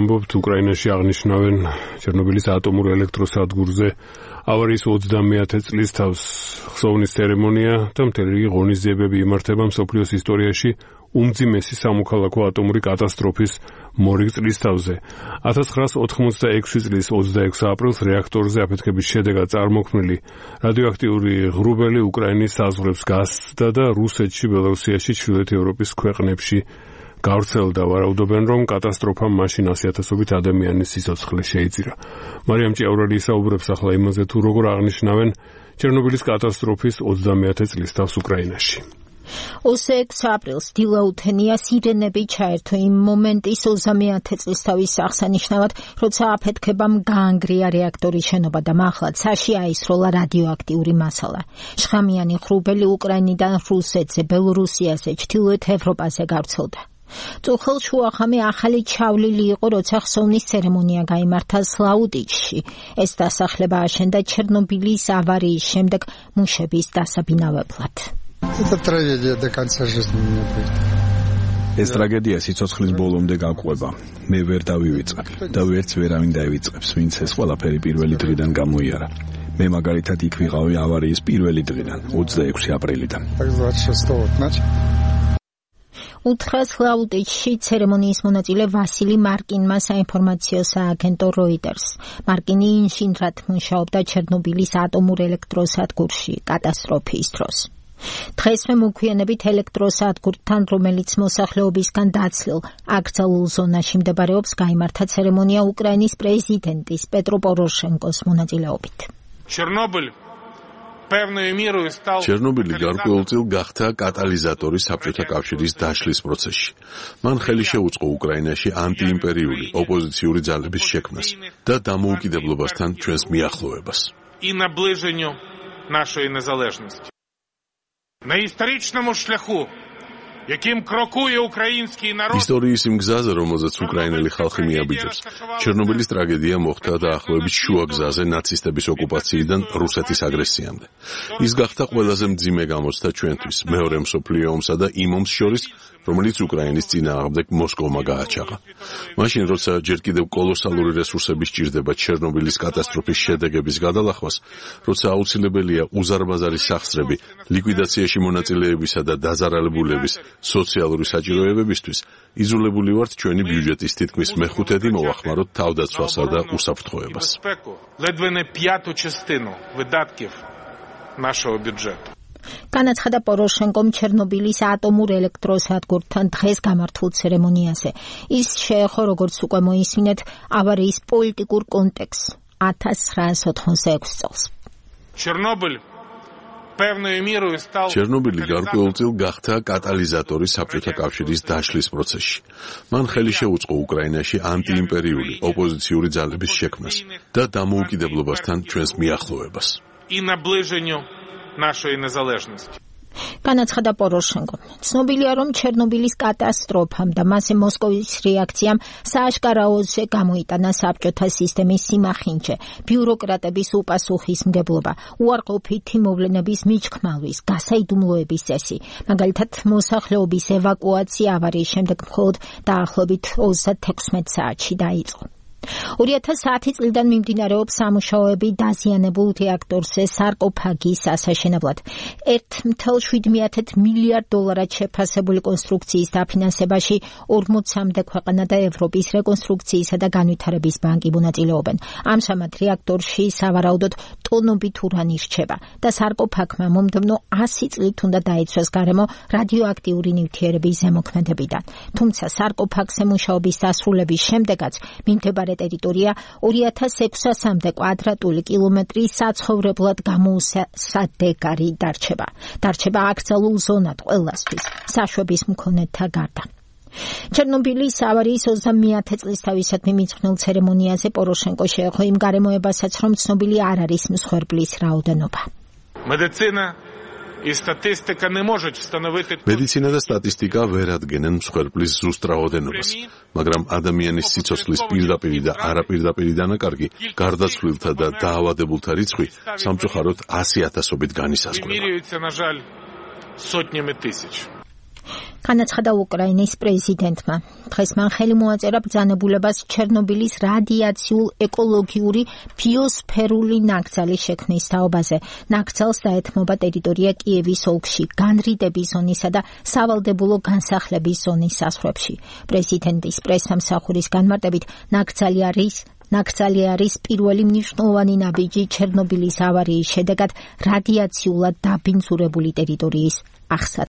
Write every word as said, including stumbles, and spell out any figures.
ამბობთ, უკრაინაში აღნიშნავენ ჩერნობილის ატომურ ელექტროსადგურზე ავარიის ოცდამეათე წლის თავს ხსოვნის ცერემონია და მთელი რიგი ღონისძიებები იმართება მსოფლიოს ისტორიაში უმძიმესი სამოქალაქო ატომური კატასტროფის მორიგ წლის თავზე. ათას ცხრაას ოთხმოცდაექვსი წლის ოცდაექვსი აპრილს რეაქტორზე აფეთქების შედეგად წარმოქმნილი რადიოაქტიური ღრუბელი უკრაინის საზღვრებს გასცდა და რუსეთში, ბელორუსიაში, ჩრდილოეთ ევროპის ქვეყნებში გავრცელდა. ვარაუდობენ, რომ კატასტროფამ მაშინ ასი ათასობით ადამიანის სიცოცხლე შეიწირა. მარიამ ჭიაურელი ისაუბრებს ახლა იმაზე, თუ როგორ აღნიშნავენ ჩერნობილის კატასტროფის ოცდამეათე წლის თავს უკრაინაში. ოცდაექვსი აპრილს დილაუთენია სირენები ჩაერთო იმ მომენტის ოცდამეათე წლის თავის აღსანიშნავად, როცა აფეთქებამ გაანგრია რეაქტორის შენობა და მართლაც საში აისროლა რადიოაქტიური მასალა. შხამიანი ღრუბელი უკრაინიდან რუსეთზე, ბელორუსიაზე, ჩრდილოეთ ევროპაზე გავრცელდა. წუხელ-შუახამე ახალი ჩავლილი იყო, როცა ხსოვნის ცერემონია გაიმართა სლაუდიჩში. ეს დასახლება აშენდა ჩერნობილის ავარიის შემდეგ მუშების დასაბინავებლად. Это трагедия до конца жизни меня будет. ეს ტრაგედია სიცოცხლის ბოლომდე გაყვება. მე ვერ დავივიწყებ და ვერც ვერავინ დაივიწყებს, ვინც ეს ყველაფერი პირველი დღიდან გამოიარა. მე მაგალითად იქ ვიყავი ავარიის პირველი დღიდან, ოცდაექვსი აპრილიდან. უთხრას ლაუდიჩში ცერემონიის მონაწილე ვასილი მარკინმა საინფორმაციო სააგენტო როიტერს. მარკინი ინჟინრად მუშაობდა ჩერნობილის ატომურ ელექტროსადგურში კატასტროფის დროს. დღეს მე მოგვიანებით ელექტროსადგურთან, რომელიც მოსახლეობისგან დაცლილ აკრძალულ ზონაში მდებარეობს, გაიმართა ცერემონია უკრაინის პრეზიდენტის პეტრო პოროშენკოს მონაწილეობით. ჩერნობილი გარკვეულწილ გახდა კატალიზატორი საბჭოთა კავშირის დაშლის პროცესში. მან ხელი შეუწყო უკრაინაში ანტიიმპერიული ოპოზიციური ძალების შექმნას და დამოუკიდებლობასთან ჩვენს მიახლოვებას. На историчному шляху, яким крокує український народ. ისტორიის იმ გზაზე, რომელზეც უკრაინელი ხალხი მიაბიჯებს. ჩერნობილის ტრაგედია მოხდა დაახლოებით შუა გზაზე ნაცისტების ოკუპაციიდან რუსეთის აგრესიამდე. ის გახდა ყველაზე მძიმე გამოცდა ჩვენთვის, მეორე მსოფლიო ომსა და იმ ომს შორის, რომელიც უკრაინის წინააღმდეგ მოსკოვმა გააჩაღა. მაშინ, როცა ჯერ კიდევ კოლოსალური რესურსები სჭირდება ჩერნობილის კატასტროფის შედეგების გადალახვას, როცა აუცილებელია უზარმაზარი სახსრები ლიკვიდაციაში მონაწილეებისა და დაზარალებულების სოციალური საჭიროებებისთვის, იზოლებული ვართ ჩვენი ბიუჯეტის თითქმის მეხუთედი მოვახმაროთ თავდაცვასა და უსაფრთხოებას. Ледве не п'яту частину видатків нашого бюджету. განაცხადა პოროშენკომ ჩერნობილის ატომურ ელექტროსადგურთან დღეს გამართულ ცერემონიაზე. ის შეეხო, როგორც უკვე მოისმინეთ, ავარიის პოლიტიკურ კონტექსტს ათას ცხრაას ოთხმოცდაექვსი წელს. ჩერნობილი გარკვეულწილ გახდა კატალიზატორი საბჭოთა კავშირის დაშლის პროცესში. მან ხელი შეუწყო უკრაინაში ანტიიმპერიული ოპოზიციური ძალების შექმნას და დამოუკიდებლობასთან ჩვენს მიახლოვებას. Нашої незалежності. განაცხადა პოროშენკო. ცნობილია, რომ ჩერნობილის კატასტროფამ და მასზე მოსკოვის რეაქციამ სააშკარაოზე გამოიტანა საბჭოთა სისტემის სიმახინჯე, ბიუროკრატების უპასუხისმგებლობა, უარყოფითი მოვლენების მიჩქმალვის, გასაიდუმლოების წესი. მაგალითად, მოსახლეობის ევაკუაცია ავარიის შემდეგ მხოლოდ დაახლოებით ოცდათექვსმეტ საათში დაიწყო. ორი ათას ათი წლიდან მიმდინარეობს სამუშაოები დაზიანებულ რეაქტორზე სარკოფაგის ასაშენებლად. ერთ წუთი შვიდ მილიარდ დოლარად შეფასებული კონსტრუქციის დაფინანსებაში ორმოცამდე ქვეყანა და ევროპის რეკონსტრუქციისა და განვითარების ბანკი მონაწილეობენ. ამჟამად რეაქტორში სავარაუდოდ ტონობით ურანი რჩება და სარკოფაგმა მომდევნო ასი წლით უნდა დაიცვას გარემო რადიოაქტიური ნივთიერების ზემოქმედებიდან. თუმცა სარკოფაგზე მუშაობის დასრულების შემდეგაც მიმდებარე ტერიტორია ორი ათას ექვსასამდე კვადრატული კილომეტრი საცხოვრებლად გამოუსადეგარი დარჩება. დარჩება აკრძალულ ზონად ყველასთვის, საშვების მქონეთა გარდა. ჩერნობილის ავარიის ოცდამეათე წლის თავისადმი მიძღვნილ ცერემონიაზე პოროშენკო შეეხო იმ გარემოებასაც, რომ ცნობილი არ არის მსხვერპლის რაოდენობა. Медицина і статистика не можуть встановити. Медиცინა და სტატისტიკა ვერ ადგენენ მსხვერპლის ზუსტ რაოდენობას, მაგრამ ადამიანის სიცოცხლის პირდაპირი და არაპირდაპირი დანაკარგი, გარდაცვლილთა და დაავადებულთა რიცხვი სამწუხაროდ ასი ათასობით განისაზღვრება. Міряються, на жаль, сотнями тисяч. განაცხადა უკრაინის პრეზიდენტმა. დღეს მან ხელი მოაწერა ბრძანებულებას ჩერნობილის რადიაციულ ეკოლოგიური ბიოსფერული ნაკრძალის შექმნის თაობაზე. ნაკრძალს დაეთმობა ტერიტორია კიევის ოლქში, განრიდების ზონისა და სავალდებულო განსახლების ზონის საზღვრებში. პრეზიდენტის პრესსამსახურის განმარტებით ნაკრძალი არის ნაკრძალი არის პირველი მნიშვნელოვანი ნაბიჯი ჩერნობილის ავარიის შედეგად რადიაციულად დაბინძურებული ტერიტორიის აღსაწყისად.